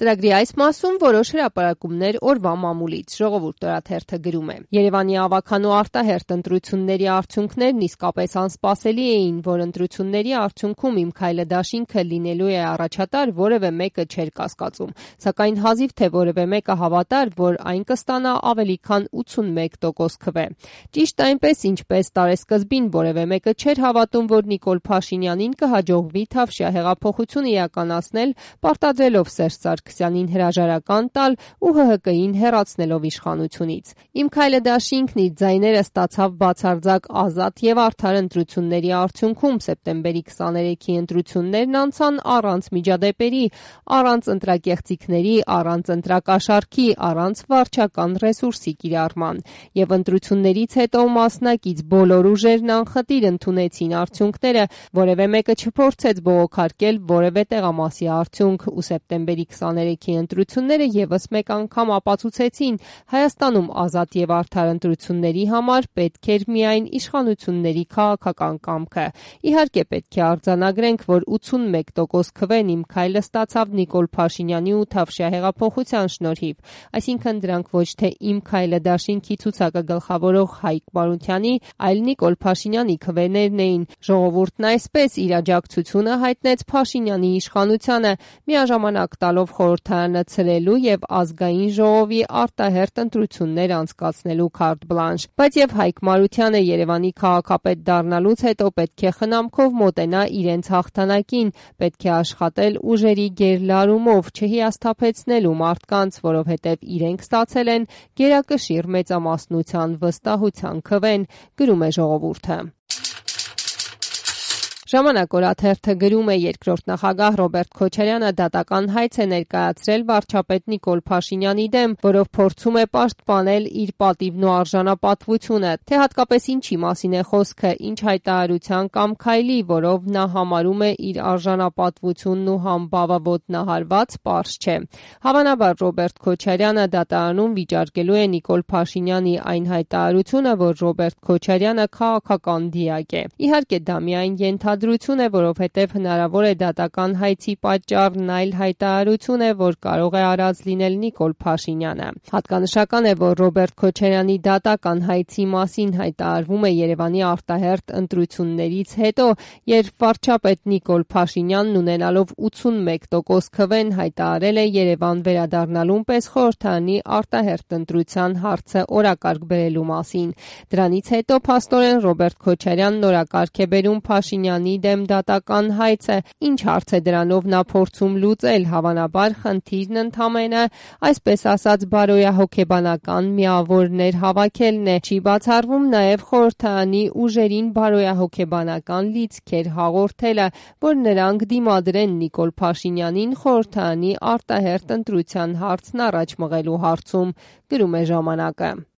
Ծրագրի այս մասում որոշ հրապարակումներ օրվա մամուլից, Ժողովուրդ օրաթերթը գրում է. Երևանի ավագան ու արտահերթ ընտրությունների արդյունքներն իսկապես անսպասելի էին, որ ընտրությունների արդյունքում Իմ քայլը դաշինքը լինելու է առաջատար, որևէ մեկը չէր կասկածում, սակայն հազիվ թե որևէ մեկը հավատար, որ այն կստանա ավելի քան 81% քվե։ Ճիշտ այնպես, ինչպես տարեսկզբին որևէ մեկը չէր հավատում, որ Նիկոլ Փաշինյանին կհաջողվի Թավշյա հեղափոխություն իրականացնել, պարտադրելով Սերժ Սարգսյանին հրաժարական տալ ու ՀՀԿ-ին հեռացնելով իշխանությունից։ Իմ քայլը դաշինքն իր ձայները ստացավ բացարձակ ազատ եւ արդար ընտրությունների արդյունքում սեպտեմբերի 23-ի ընտրություններն անցան առանց միջադեպերի, առանց ընտրակեղծիքների, առանց ընտրակաշառքի, առանց վարչական ռեսուրսի կիրառման։ Եվ ընտրություններից հետո մասնակից բոլոր ուժերն անխտիր ընդունեցին արդյունքները, որևէ մեկը չփորձեց բողոքարկել որևէ տեղամասի արդյունք ու սեպտեմբերի 23-ի ընտրությունները եւս մեկ անգամ ապացուցեցին Հայաստանում ազատ եւ արդար ընտրությունների համար պետք էր միայն իշխանությունների քաղաքական կամքը։ Իհարկե պետք է արձանագրենք, որ 81% քվեն Իմ քայլը ստացավ Նիկոլ Փաշինյանի ու Թավշյա հեղափոխության շնորհիվ, այսինքն դրանք ոչ թե Իմ քայլը դաշինքի ցուցակը գլխավորող Հայկ Մարությանի, այլ Նիկոլ Փաշինյանի քվեներն էին։ Ժողովուրդն այսպես իր աջակցությունը հայտնեց Փաշինյանի իշխանությանը, միաժամանակ տալով խորհրդարանը ցրելու եւ ազգային ժողովի արտահերթ ընտրություններ անցկացնելու քարտ բլանշ։ Բայց եւ Հայկ Մարությանը Երևանի քաղաքապետ դառնալուց հետո պետք է խնամքով մոտենա իրենց հաղթանակին, պետք է աշխատել ուժերի գերլարումով, չհիասթափեցնելու մարդկանց, որովհետեւ իրենք ստացել են գերակշիռ մեծամասնության վստահության քվեն, գրում է Ժողովուրդը։ Ժամանակ օրաթերթը գրում է. երկրորդ նախագահ Ռոբերտ Քոչարյանը դատական հայց է ներկայացրել վարչապետ Նիկոլ Փաշինյանի դեմ, որով փորձում է պաշտպանել իր պատիվն ու արժանապատվությունը, թե հատկապես ինչի մասին է խոսքը, ինչ հայտարարության կամ քայլի, որով նա համարում է իր արժանապատվությունն ու համբավը ոտնահարված, պարզ չէ։ Հավանաբար Ռոբերտ Քոչարյանը դատարանում վիճարկելու է Նիկոլ Փաշինյանի այն հայտարարությունը, որ Ռոբերտ Քոչարյանը քաղաքական դիակ է։ Իհարկե դա միայն ենթադրություն է, որովհետև հնարավոր է դատական հայցի պատճառն այլ հայտարարություն է, որ կարող է արած լինել Նիկոլ Փաշինյանը։ Հատկանշական է, որ Ռոբերտ Քոչարյանի դատական հայցի մասին հայտարարվում է Երևանի արտահերթ ընտրություններից հետո, երբ վարչապետ Նիկոլ Փաշինյանն ունենալով 81% քվեն հայտարարել է Երևան վերադառնալուն պես խորհրդարանի արտահերթ ընտրության հարցը օրակարգ բերելու մասին։ Դրանից հետո փաստորեն Ռոբերտ Քոչարյանն օրակարգ է բերում Փաշինյանի դեմ դատական հայցը, ինչ հարց է դրանով նա փորձում լուծել, հավանաբար խնդիրն ընդամենը, այսպես ասած, բարոյահոգեբանական միավորներ հավաքելն է։ Չի բացառվում նաև խորհրդարանի ուժերին բարոյահոգեբանական լիցքեր հաղորդելը, որ նրանք դիմադրեն Նիկոլ Փաշինյանին խորհրդարանի արտահերթ ընտրության հարցն առաջ մղելու հարցում, գրում է Ժամանակը։